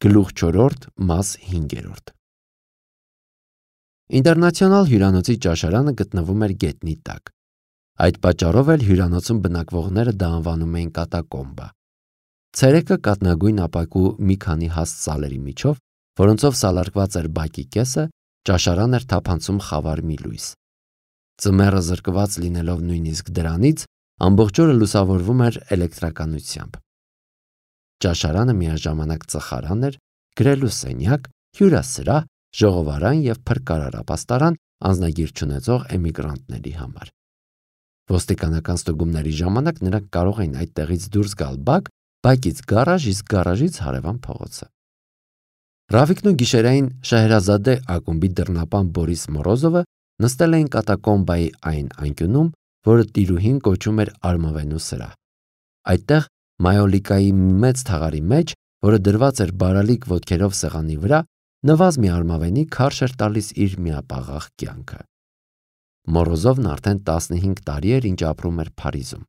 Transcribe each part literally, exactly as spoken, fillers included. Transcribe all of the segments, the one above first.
Գլուխ չորրորդ, մաս հինգերորդ։ Ինտերնացիոնալ հյուրանոցի ճաշարանը գտնվում էր գետնի տակ։ Այդ պատճառով էլ հյուրանոցում բնակվողները դա անվանում էին կատակոմբա։ Ցերեկը կատնագույն ապակու մի քանի հաստ սալերի միջով, որոնցով սալարկված էր բակի կեսը, ճաշարան էր թափանցում խավար մի լույս։ Ձմեռը զրկված լինելով նույնիսկ դրանից, ամբողջ օրը լուսավորվում էր էլեկտրականությամբ։ Ճաշարանը միաժամանակ ծխարան էր, գրելու սենյակ, հյուրասրահ, ժողովարան և փրկարար անձնագիր չունեցող էմիգրանտների համար։ Ոստիկանական ստուգումների ժամանակ նրանք կարող էին այդտեղից դուրս գալ բակ, բակից գարաժ, իսկ գարաժից հարևան փողոցը։ Ռավիկն ու գիշերային Շահերազադե ակումբի դռնապան Բորիս Մորոզովը նստել էին կատակոմբայի այն անկյունում, որը տիրուհին կոչում էր արմավենու սրահ։ Այդտեղ մայոլիկայի մեծ թաղարի մեջ, որը դրված էր բարալիկ ոտքերով սեղանի վրա, նվազ մի արմավենի քարշ էր տալիս իր միապաղաղ կյանքը։ Մորոզովն արդեն տասնհինգ տարի էր, ինչ ապրում էր Փարիզում։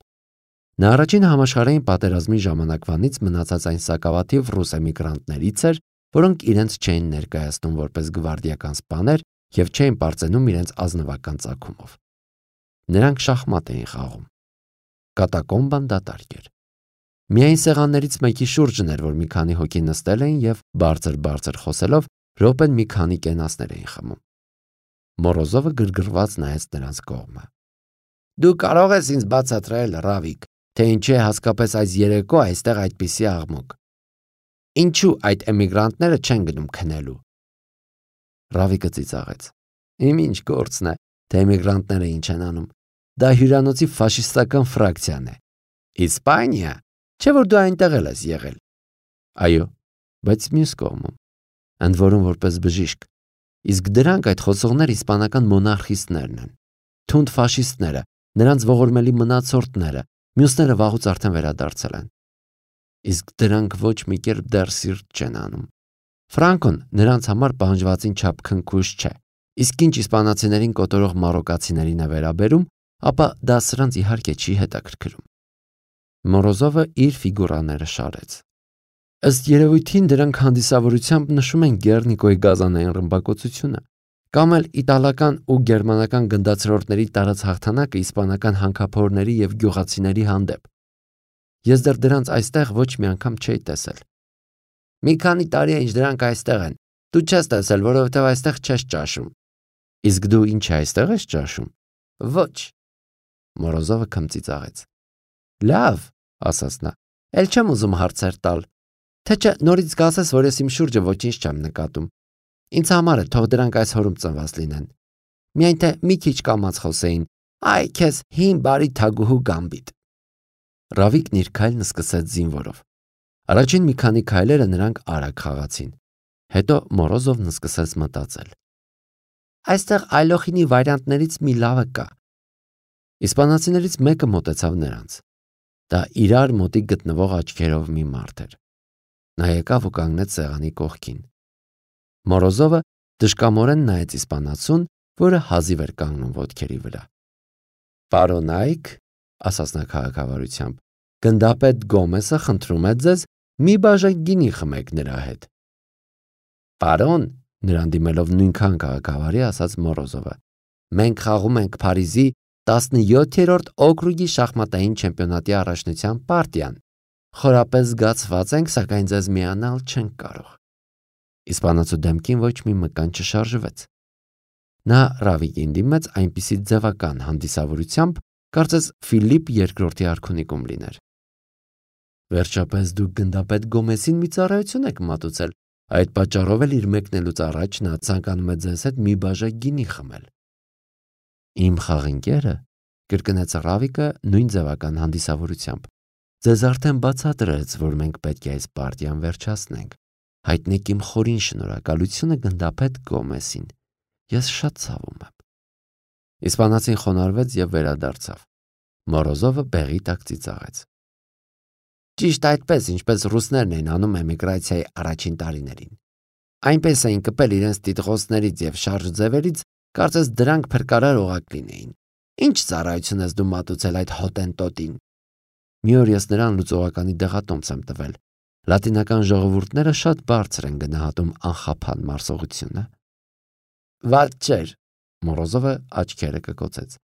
Նա առաջին համաշխարհային պատերազմի ժամանակվանից մնացած այն սակավաթիվ ռուս էմիգրանտներից էր, որոնք իրենց չէին ներկայացնում որպես գվարդիական սպաներ և չէին պարծենում իրենց ազնվական ծագումով։ Նրանք շախմատ էին խաղում։ Կատակոմբան դատարկ էր։ Միայն սեղաններից մեկի շուրջն էր, որ մի քանի հոգի նստել էին և բարձր-բարձր խոսելով րոպեն մի քանի կենասներ էին խմում։ Մորոզովը գրգռված նայեց նրանց կողմը։ Դու կարող ես ինձ բացատրել, Ռավիկ, թե ինչու է հատկապես այս երեկո այստեղ այդպիսի աղմուկ։ Ինչու այդ էմիգրանտները չեն գնում քնելու։ Ռավիկը ծիծաղեց։ Իմ ինչ գործն է, թե էմիգրանտները ինչ են անում։ Դա հյուրանոցի ֆաշիստական ֆրակցիան է։ Իսպանիա, չէ՞ որ դու այնտեղ ես եղել։ Այո, բայց մյուս կողմում, ընդ որում որպես բժիշկ։ Իսկ դրանք այդ խոսողներ իսպանական մոնարխիստներն են։ Թունդ ֆաշիստները, նրանց ողորմելի մնացորդները, մյուսները վաղուց արդեն վերադարձել են։ Իսկ դրանք ոչ մի կերպ դեռ սիրտ չեն անում։ Ֆրանկոն նրանց համար պահանջվածին չափ քնքուշ չէ։ Իսկ ինչ իսպանացիներին կոտորող մարոկացիներին է վերաբերում, ապա դա սրանց իհարկե չի հետաքրքրում։ Մորոզովը իր ֆիգուրաները շարեց։ Ըստ երևույթին դրանք հանդիսավորությամբ նշում են Գեռնիկոյի գազանային ռմբակոծությունը, կամ էլ իտալական ու գերմանական գնդացրորդների տարած հաղթանակը իսպանական հանքափորների և գյուղացիների հանդեպ։ Ես դեռ դրանց այստեղ ոչ մի անգամ չէի տեսել։ Մի քանի տարի է, ինչ դրանք այստեղ են։ Դու չես տեսել, որովհետև այստեղ չես ճաշում։ Իսկ դու ինչ այստեղ ես ճաշում։ Ոչ։ Մորոզովը քմծիծաղեց։ Լավ, ասաց նա, էլ չեմ ուզում հարցեր տալ, թե չէ նորից կասես, որ ես իմ շուրջը ոչինչ չեմ նկատում։ Ինձ համար է թող դրանք այս հորում ծնված լինեն։ Միայն թե մի քիչ կամաց խոսեին, այ քեզ հին բարի թագուհու գամբիտ։ Ռավիկն իր քայլն սկսեց զինվորով։ Առաջին մի քանի քայլերը նրանք արագ խաղացին։ Հետո Մորոզովն սկսեց մտածել։ Այստեղ այլոխինի վարիանտներից մի լավը կա։ Իսպանացիներից մեկը մոտեցավ նրանց։ Դա իրար մոտիկ գտնվող աչքերով մի մարդ էր։ Նա եկավ ու կանգնեց սեղանի կողքին։ Մորոզովը դժկամորեն նայեց իսպանացուն, որը հազիվ էր կանգնում ոտքերի վրա։ Պարոնայք, ասաց նա քաղաքավարությամբ, գնդապետ Գոմեսը խնդրում է ձեզ մի բաժակ գինի խմեք նրա հետ։ Պարոն, նրան դիմելով նույնքան քաղաքավարի ասաց Մորոզովը, մենք խաղում ենք Փարիզի տասնյոթերորդ օկրուգի շախմատային չեմպիոնատի առաջնության պարտիան։ Խորապես զգացված ենք, սակայն ձեզ միանալ չենք կարող։ Իսպանացու դեմքին ոչ մի մկան չշարժվեց։ Նա Ռավիկին դիմեց այնպիսի ձևական հանդիսավորությամբ, կարծես Ֆիլիպ երկրորդի արքունիկում լիներ։ Վերջապես դուք գնդապետ Գոմեսին մի ծառայություն եք մատուցել, այդ պատճառով էլ իր մեկնելուց առաջ նա ցանկանում է ձեզ հետ մի բաժակ գինի խմել։ Իմ խաղընկերը, կրկնեց Ռավիկը նույն ձևական հանդիսավորությամբ, ձեզ արդեն բացատրեց, որ մենք պետք է այս պարտիան վերջացնենք։ Հայտնեք իմ խորին շնորհակալությունը գնդապետ Գոմեսին։ Ես շատ ցավում եմ։ Իսպանացին խոնարհվեց և վերադարձավ։ Մորոզովը բեղի տակ ծիծաղեց։ Ճիշտ այդպես, ինչպես ռուսներն էին անում էմիգրացիայի առաջին տարիներին։ Այնպես էին կպել իրենց տիտղոսներից և շարժ ձևերից, կարծես դրանք փրկարար օղակ լինեին։ Ինչ ծառայություն ես դու մատուցել այդ հոտենտոտին։ Մի օր ես նրան լուծողականի դեղատոմս եմ տվել։ Լատինական ժողովուրդները շատ բարձր են գնահատում անխափան մարսողությունը։ Վատ չէր, Մորոզովը աչքերը կկոցեց։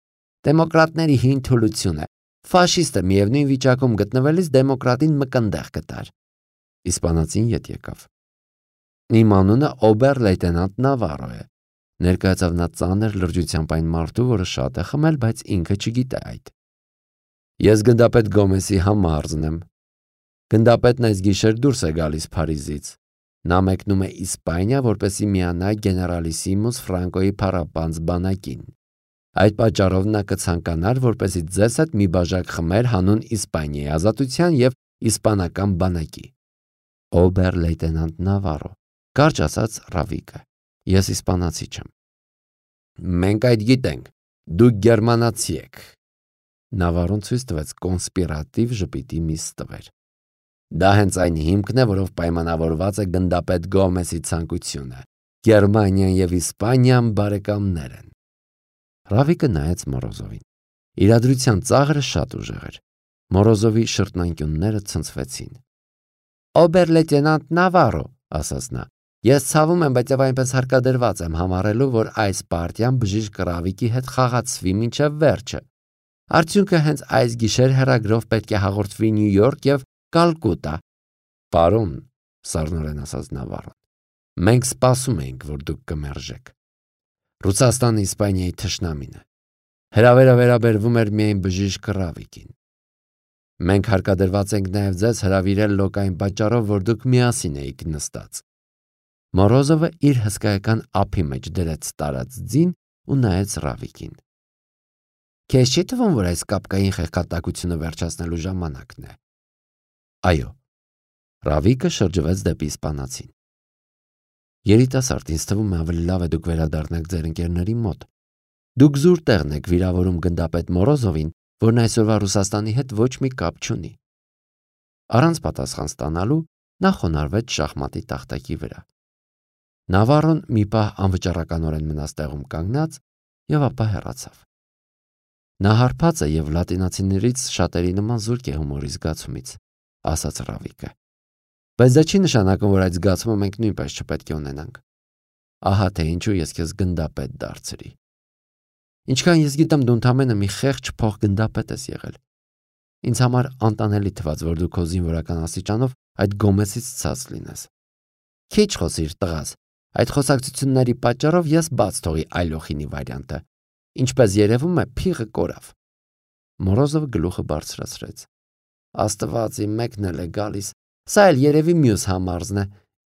Դեմոկրատների հին թուլություն է։ Ֆաշիստը միևնույն վիճակում գտնվելիս դեմոկրատին մկնդեղ կտար։ Իսպանացին ետ եկավ։ Իմ անունը օբեր լեյտենանտ Նավարո է։ Ներկայացավ նա ծանր լրջությամբ այն մարդու, որը շատ է խմել, բայց ինքը չգիտե այդ։ Ես գնդապետ Գոմեսի համարզն եմ։ Գնդապետն այս գիշեր դուրս է գալիս Փարիզից։ Նա մեկնում է Իսպանիա, որպեսզի միանա գեներալիսիմուս Ֆրանկոյի փառապանծ բանակին։ Այդ պատճառով նա կցանկանար, որպեսզի ձեզ հետ մի բաժակ խմեր հանուն Իսպանիայի ազատության եւ իսպանական բանակի։ Օբեր լեյտենանտ Նավարո, կարճ ասաց Ռավիկը։ Ես իսպանացի չեմ։ Մենք այդ գիտենք, դուք գերմանացի եք։ Նավարոն ցույց տվեց կոնսպիրատիվ ժպիտի մի ստվեր։ Դա հենց այն հիմքն է, որով պայմանավորված է գնդապետ Գոմեսի ցանկությունը։ Գերմանիան եւ Իսպանիան բարեկամներ են։ Ռավիկը նայեց Մորոզովին։ Իրադրության ծաղրը շատ ուժեղ էր։ Մորոզովի շրթնանկյունները ցնցվեցին։ Օբեր լեյտենանտ Նավարո, ասաց նա, ես ցավում եմ, բայց եւ այնպես հարկադրված եմ համարելու, որ այս պարտիան բժիշկ Ռավիկի հետ խաղացվի մինչև վերջը։ Արդյունքը հենց այս գիշեր հեռագրով պետք է հաղորդվի Նյու Յորք եւ Կալկուտա։ Պարոն, սառնորեն ասաց Նավարոն, մենք սպասում էինք, որ դուք կմերժեք։ Ռուսաստանը Իսպանիայի թշնամին է։ Հրավերը վերաբերվում էր միայն բժիշկ Ռավիկին։ Մենք հարկադրված ենք նաև ձեզ հրավիրել լոկային պատճառով, որ դուք միասին էիք նստած։ Մորոզովը իր հսկայական ափի մեջ դրեց տարած ձին ու նայեց Ռավիկին։ Քեզ չի թվում, որ այս կապկային խեղկատակությունը վերջացնելու ժամանակն է։ Այո։ Ռավիկը շրջվեց դեպի իսպանացին։ Երիտասարդ, ինձ թվում է ավելի լավ է դուք վերադառնաք ձեր ընկերների մոտ։ Դուք զուր տեղն եք վիրավորում գնդապետ Մորոզովին, որն այսօրվա Ռուսաստանի հետ ոչ մի կապ չունի։ Առանց պատասխան ստանալու նա խոնարհվեց շախմատի տախտակի վրա։ Նավարոն մի պահ անվճռականորեն մնաց տեղում կանգնած եւ ապա հեռացավ։ Նա հարբած է եւ լատինացիներից շատերի նման զուրկ է հումորի զգացումից, ասաց Ռավիկը։ Բայց դա չի նշանակում, որ այդ զգացումը մենք նույնպես չպետք է ունենանք։ Ահա թե ինչու ես քեզ գնդապետ դարձրի։ Ինչքան ես գիտեմ, դու ընդամենը մի խեղճ փոխգնդապետ ես եղել։ Ինձ համար անտանելի թվաց, որ դու քո զինվորական աստիճանով այդ Գոմեսից ցած լինես։ Քիչ խոսիր, տղաս։ Այդ խոսակցությունների պատճառով ես բաց թողի այլոխինի վարիանտը։ Ինչպես երևում է, փիղը կորավ։ Մորոզովը գլուխը բարձրացրեց։ Աստված իմ մեկն էլ է գալիս։ Սա էլ երևի մյուս համարզն է։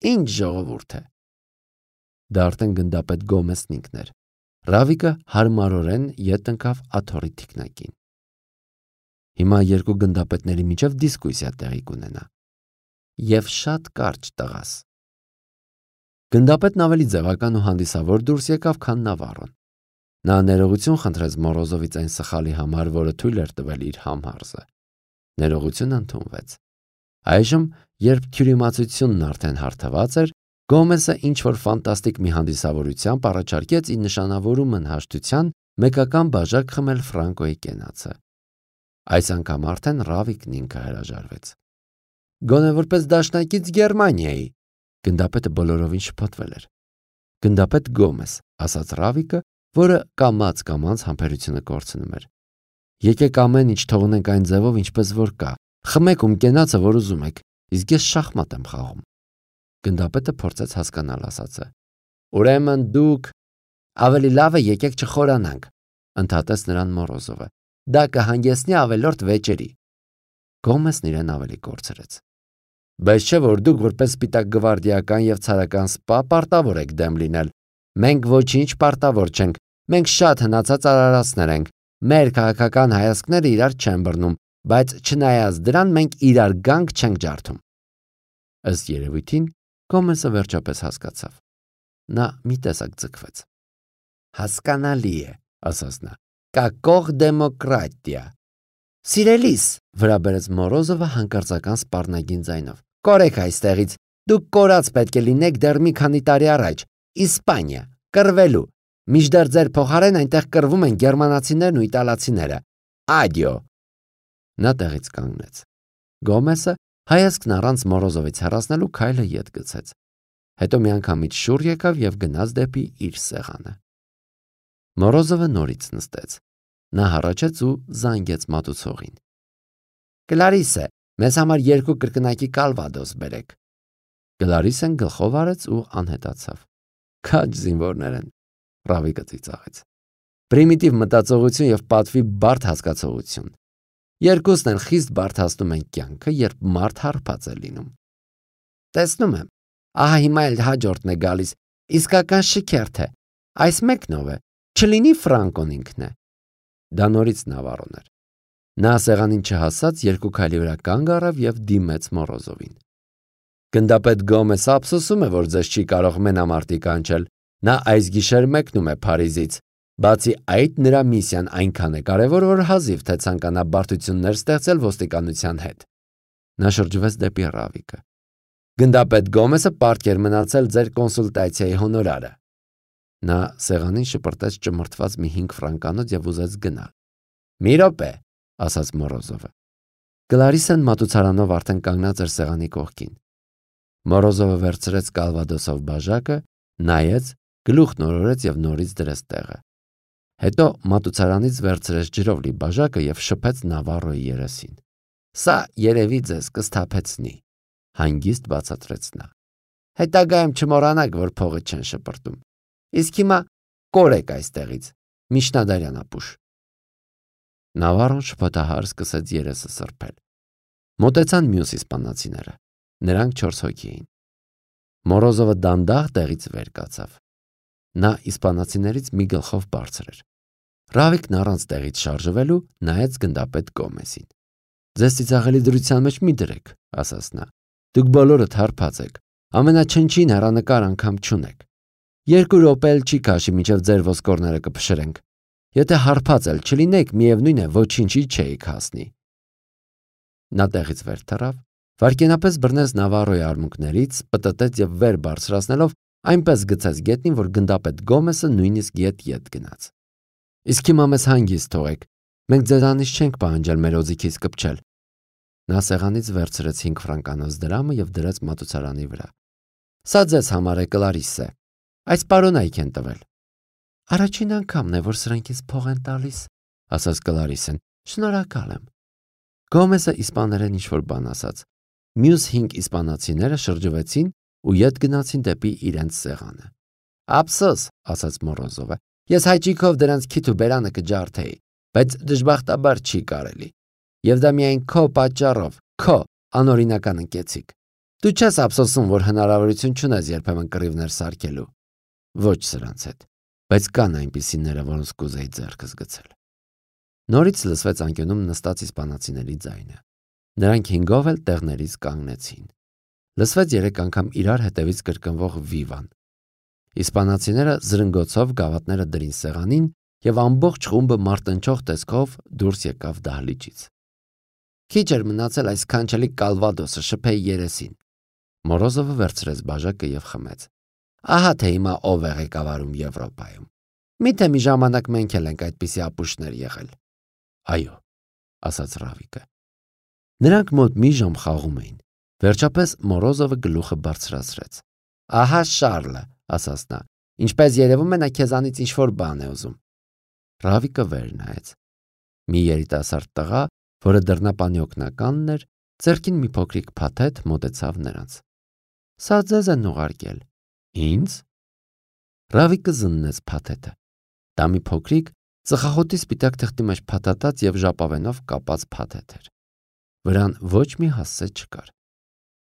Ինչ ժողովուրդ է։ Դա արդեն գնդապետ Գոմեսն ինքն էր։ Ռավիկը հարմարորեն ետ ընկավ աթոռի թիկնակին։ Հիմա երկու գնդապետների միջև դիսկուսիա տեղի կունենա։ Եվ շատ կարճ, տղաս։ Գնդապետն ավելի ձևական ու հանդիսավոր դուրս եկավ, քան Նավարոն։ Նա ներողություն խնդրեց Մորոզովից այն սխալի համար, որը թույլ էր տվել իր համարզը։ Ներողությունը ընդունվեց։ Այժմ, երբ քյուրիմացությունն արդեն հարթված էր, Գոմեսը ինչ-որ ֆանտաստիկ մի հանդիսավորությամբ առաջարկեց ի նշանավորումն հաշտության մեկական բաժակ խմել Ֆրանկոյի կենացը։ Այս անգամ արդեն Ռավիկն ինքը հրաժարվեց։ Գոնե որպես դաշնակից Գերմանիայի, գնդապետը բոլորովին շփոթվել էր։ Գնդապետ Գոմես, ասաց Ռավիկը, որը կամաց-կամաց համբերությունը կորցնում էր։ Եկեք ամեն ինչ թողնենք այն ձևով, ինչպես որ կա։ Խմեք ում կենացը, որ ուզում եք, իսկ ես շախմատ եմ խաղում։ Գնդապետը փորձեց հասկանալ ասածը։ Ուրեմն դուք ավելի լավ է եկեք չխորանանք, ընդհատեց նրան Մորոզովը։ Դա կհանգեցնի ավելորդ վեճերի։ Գոմեսն իրեն ավելի կորցրեց։ Բայց չէ որ դուք որպես սպիտակ գվարդիական եւ ցարական սպա պարտավոր եք դեմ լինել։ Մենք ոչինչ պարտավոր չենք։ Մենք շատ հնացած արարածներ ենք։ Մեր քաղաքական հայացքները իրար չեն բռնում, բայց չնայած դրան մենք իրար գանք չենք ջարդում։ Ըստ երևույթին Գոմեսը վերջապես հասկացավ։ Նա մի տեսակ ձգվեց։ Հասկանալի է, ասաց նա։ Կակող դեմոկրատիա։ Սիրելիս, վրա բերեց Մորոզովը հանկարծական սպառնագին ձայնով։ Կորեք այստեղից։ Դուք կորած պետք է լինեք դեռ մի քանի տարի առաջ։ Իսպանիա, կռվելու։ Մինչդեռ ձեր փոխարեն այնտեղ կռվում են գերմանացիներն ու իտալացիները։ Ադիո։ Նա տեղից կանգնեց։ Գոմեսը Հայացքն առանց Մորոզովից հեռացնելու քայլը ետ գցեց։ Հետո մի անգամից շուռ եկավ եւ գնաց դեպի իր սեղանը։ Մորոզովը նորից նստեց։ Նա հառաչեց ու զանգեց մատուցողին։ Կլարիսե, մեզ համար երկու կրկնակի կալվադոս բերեք։ Կլարիսեն գլխով արեց ու անհետացավ։ Քաջ զինվորներ են, Ռավիկը ծիծաղեց։ Պրիմիտիվ մտածողություն եւ պատվի բարդ հասկացողություն։ Երկուսն են խիստ բարդացնում են կյանքը, երբ մարդ հարբած է լինում։ Տեսնում եմ, ահա հիմա էլ հաջորդն է գալիս, իսկական շքերթ է, այս մեկնով է, չլինի Ֆրանկոն ինքն է։ Դա նորից Նավարոն էր։ Նա սեղանին չհասած երկու քայլի վրա կանգ առավ եւ դիմեց Մորոզովին։ Գնդապետ Գոմեսը ափսոսում է, որ ձեզ չի կարող մենամարտի կանչել։ Նա այս գիշեր մեկնում է Փարիզից։ Բացի այդ, նրա միսիան այնքան է կարևոր, որ հազիվ թե ցանկանա բարդություններ ստեղծել ոստիկանության հետ։ Նա շրջվեց դեպի Ռավիկը։ Գնդապետ Գոմեսը պարտքեր մնացել ձեր կոնսուլտացիայի հոնորարը։ Նա սեղանին շպրտեց ճմրթված մի հինգ ֆրանկանոց եւ ուզեց գնալ։ Մի րոպե, ասաց Մորոզովը։ Կլարիսեն մատուցարանով արդեն կանգնած էր սեղանի կողքին։ Մորոզովը վերցրեց կալվադոսով բաժակը, նայեց, գլուխն օրորեց եւ նորից դրեց տեղը։ Հետո մատուցարանից վերցրեց ջրով լի բաժակը եւ շփեց Նավարոյի երեսին։ Սա երևի ձեզ կսթափեցնի, հանգիստ բացատրեց նա։ Հետագայում չմոռանաք, որ փողը չեն շպրտում։ Իսկ հիմա կորեք այստեղից, Միջնադարյան ապուշ։ Նավարոն շփոթահար սկսեց երեսը սրբել։ Մոտեցան մյուս իսպանացիները։ Նրանք չորս հոգի էին։ Մորոզովը դանդաղ տեղից վեր կացավ։ Նա իսպանացիներից մի գլխով բարձր էր։ Ռավիկն առանց տեղից շարժվելու նայեց գնդապետ Գոմեսին։ Ձեզ ծիծաղելի դրության մեջ մի դրեք, ասաց նա։ Դուք բոլորդ հարբած եք, ամենաչնչին հեռանկար անգամ չունեք։ Երկու րոպե էլ չի քաշի, մինչև ձեր ոսկորները կփշրենք։ Եթե հարբած էլ չլինեք, միևնույն է, ոչինչի չէիք հասնի։ Նա տեղից վեր թռավ, վայրկենապես բռնեց Նավարոյի արմունկներից, պտտեց եւ վեր բարձրացնելով այնպես գցեց գետնին, որ գնդապետ Գոմեսը նույնիսկ ետ-ետ գնաց։ Իսկ հիմա մեզ հանգիստ թողեք, մենք ձեզանից չենք պահանջել մեր օձիքից կպչել։ Նա սեղանից վերցրեց հինգ ֆրանկանոց դրամը եւ դրեց մատուցարանի վրա։ Սա ձեզ համար է, Կլարիսե։ Այս պարոնայք են տվել։ Առաջին անգամն է, որ սրանք ինձ փող են տալիս, ասաց Կլարիսեն։ Շնորհակալ եմ։ Գոմեսը իսպաներեն ինչ-որ բան ասաց։ Մյուս հինգ իսպանացիները շրջվեցին ու ետ գնացին դեպի իրենց սեղանը։ Ափսոս, ասաց Մորոզովը, ես հայճիկով դրանց քիթ ու բերանը կջարդեի, բայց դժբախտաբար չի կարելի։ Եվ դա միայն քո պատճառով, քո անօրինական ընկեցիկ։ Դու չես ափսոսում, որ հնարավորություն չունես երբեմն կռիվներ սարքելու։ Ոչ սրանց հետ, բայց կան այնպիսիները, որոնց կուզեի ձեռքս գցել։ Նորից լսվեց անկյունում նստած իսպանացիների ձայնը։ Նրանք հինգով էլ տեղներից կանգնեցին։ Լսվեց երեք անգամ իրար հետևից կրկնվող վիվան։ Իսպանացիները զրնգոցով գավաթները դրին սեղանին եւ ամբողջ խումբը մարտնչող տեսքով դուրս եկավ դահլիճից։ Քիչ էր մնացել այս քանչելի կալվադոսը շփեի երեսին։ Մորոզովը վերցրեց բաժակը եւ խմեց։ Ահա թե հիմա ով է ղեկավարում Եվրոպայում։ Միթե մի ժամանակ մենք էլ ենք այդպիսի ապուշներ եղել։ Այո, ասաց Ռավիկը։ Նրանք մոտ մի ժամ խաղում էին։ Վերջապես Մորոզովը գլուխը բարձրացրեց։ Ահա Շարլը, ասաց նա, ինչպես երևում է նա քեզանից ինչ-որ բան է ուզում։ Ռավիկը վեր նայեց։ Մի երիտասարդ տղա, որը դռնապանի օգնականն էր, ձեռքին մի փոքրիկ փաթեթ մոտեցավ նրանց։ Սա ձեզ են ուղարկել։ Ինձ։ Ռավիկը զննեց փաթեթը։ Դա մի փոքրիկ ծխախոտի սպիտակ թղթի մեջ փաթաթած եւ ժապավենով կապած փաթեթ էր։ Վրան ոչ մի հասցե չկար։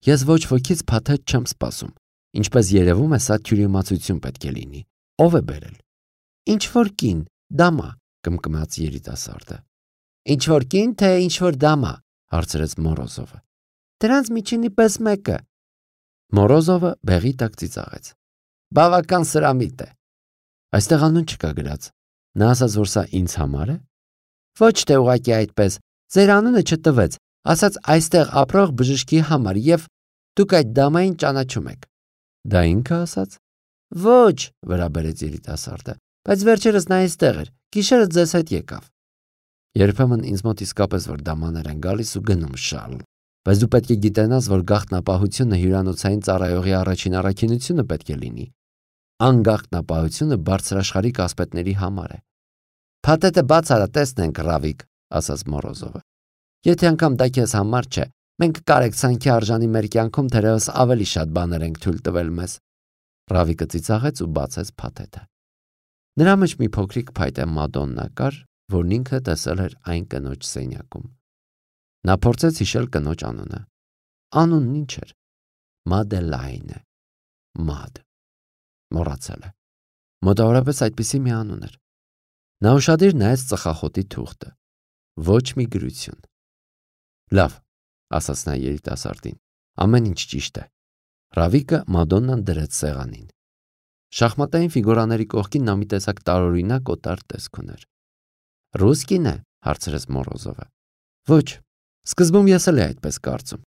Ես ոչ ոքից փաթեթ չեմ սպասում։ Ինչպես երևում է, սա թյուրիմացություն պետք է լինի։ Ով է բերել։ Ինչ որ կին, դամա, կմկմաց երիտասարդը։ Ինչ որ կին, թե ինչ որ դամա, հարցրեց Մորոզովը։ Դրանց միջինի պես մեկը։ Մորոզովը բեղի տակ ծիծաղեց։ Բավական սրամիտ է։ Այստեղ անուն չկա գրած։ Նա ասաց, որ սա ինձ համար է։ Ոչ թե ուղղակի այդպես։ Ձեր անունը չտվեց, ասաց այստեղ ապրող բժշկի համար եւ դուք այդ դամային ճանաչում եք։ Դա ինքը ասաց։ Ոչ, վրա բերեց երիտասարդը, բայց վերջերս նա այստեղ էր։ Գիշերը ձեզ հետ եկավ։ Երբեմն ինձ մոտ իսկապես որ դամաներ են գալիս ու գնում Շարլ, Բայց դու պետք է գիտենաս, որ գաղտնապահությունը հյուրանոցային ծառայողի առաջին առաքինությունը պետք է լինի։ Անգաղտնապահությունը բարձրաշխարհիկ ասպետների համար է։ Փաթեթը բաց արա, տեսնենք, Ռավիկ, ասաց Մորոզովը։ Եթե անգամ դա քեզ համար չէ, մենք կարեկցանքի արժանի մեր կյանքում թերևս ավելի շատ բաներ ենք թույլ տվել մեզ։ Ռավիկը ծիծաղեց ու բացեց փաթեթը։ Նրա մեջ մի փոքրիկ փայտե Մադոննա կար, որն ինքը տեսել էր այն կնոջ սենյակում։ Նա փորձեց հիշել կնոջ անունը։ Անունն ինչ էր։ Մադելայնը։ Մադ։ Մոռացել է։ Մոտավորապես այդպիսի մի անուն էր։ Նա ուշադիր նայեց ծխախոտի թուղթը։ Ոչ մի գրություն։ Լավ, ասաց նա երիտասարդին, ամեն ինչ ճիշտ է։ Ռավիկը Մադոննան դրեց սեղանին։ Շախմատային ֆիգուրաների կողքին նա մի տեսակ տարօրինակ օտար տեսք ուներ։ Ռուսկին է, հարցրեց Մորոզովը։ Ոչ, սկզբում ես էլ այդպես կարծում։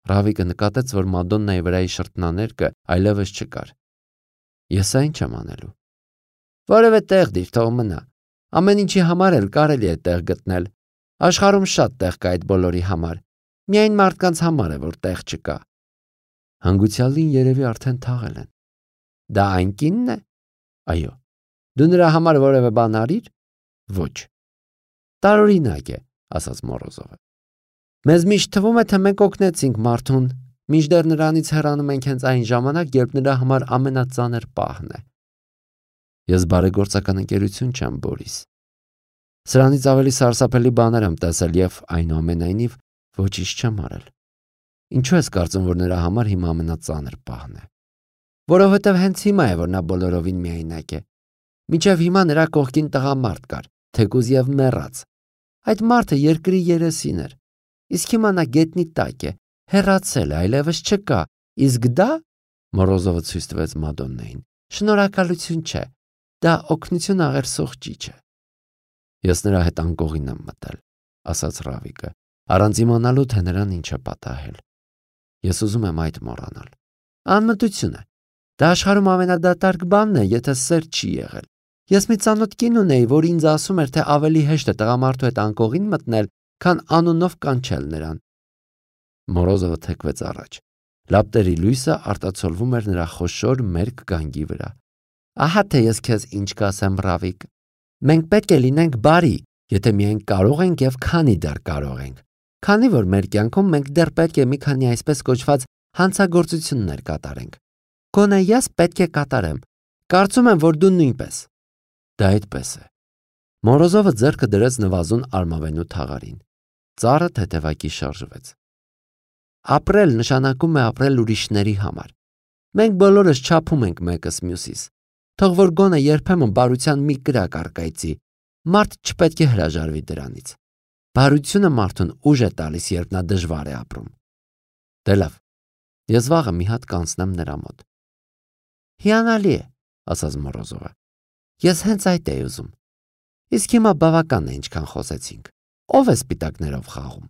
Ռավիկը նկատեց, որ Մադոննայի վրայի շրթնաներկը այլևս չկար։ Ես այն չեմ անելու։ Որևէ տեղ դիր, թող մնա։ Ամեն ինչի համար էլ կարելի է տեղ գտնել։ Աշխարհում շատ տեղ կա այդ բոլորի համար։ Միայն մարդկանց համար է, որ տեղ չկա։ Հանգուցյալին երևի արդեն թաղել են։ Դա այն կինն է։ Այո։ Դու նրա համար որևէ բան արիր։ Ոչ։ Տարօրինակ է, ասաց Մորոզովը։ Մեզ միշտ թվում է, թե մենք օգնեցինք մարդուն, մինչդեռ նրանից հեռանում ենք հենց այն ժամանակ, երբ նրա համար ամենածանր պահն է։ Ես բարեգործական ընկերություն չեմ, Բորիս։ Սրանից ավելի սարսափելի բաներ եմ տեսել եւ այնուամենայնիվ ոչինչ չեմ արել։ Ինչու ես կարծում, որ նրա համար հիմա ամենածանր պահն է։ Որովհետև հենց հիմա է, որ նա բոլորովին միայնակ է։ Մինչև հիմա նրա կողքին տղամարդ կար, թեկուզ եւ մեռած։ Այդ մարդը երկրի երեսին էր։ Իսկ հիմա նա գետնի տակ է, հեռացել է, այլևս չկա։ Իսկ դա, Մորոզովը ցույց տվեց Մադոննային, շնորհակալություն չէ։ Դա օգնություն աղերսող ճիչ է։ Ես նրա հետ անկողին եմ մտել, ասաց Ռավիկը, առանց իմանալու, թե նրան ինչ է պատահել։ Ես ուզում եմ այդ մոռանալ։ Անմտություն է։ Դա աշխարհում ամենադատարկ բանն է, եթե սեր չի եղել։ Ես մի ծանոթ կին ունեի, որ ինձ ասում էր, թե ավելի հեշտ է տղամարդու հետ անկողին մտնել, քան անունով կանչել նրան։ Մորոզովը թեքվեց առաջ։ Լապտերի լույսը արտացոլվում էր նրա խոշոր մերկ գանգի վրա։ Ահա թե ես քեզ ինչ կասեմ, Ռավիկ։ Մենք պետք է լինենք բարի, եթե միայն կարող ենք եւ քանի դեռ կարող ենք։ Քանի որ մեր կյանքում մենք դեռ պետք է մի քանի այսպես կոչված հանցագործություններ կատարենք։ Գոնե ես պետք է կատարեմ։ Կարծում եմ, որ դու նույնպես։ Դա այդպես է։ Մորոզովը ձեռքը դրեց նվազուն արմավենու թաղարին։ Ծառը թեթևակի շարժվեց։ Ապրել նշանակում է ապրել ուրիշների համար։ Մենք բոլորս չափում ենք մեկս մյուսիս։ Թող որ գոնե երբեմն բարության մի կրակ առկայծի, մարդ չպետք է հրաժարվի դրանից։ Բարությունը մարդուն ուժ է տալիս, երբ նա դժվար է ապրում։ Դե լավ, ես վաղը մի հատ կանցնեմ նրա մոտ։ Հիանալի է, ասաց Մորոզովը։ Ես հենց այդ էի ուզում։ Իսկ հիմա բավական է ինչքան խոսեցինք։ Ո՞վ է սպիտակներով խաղում։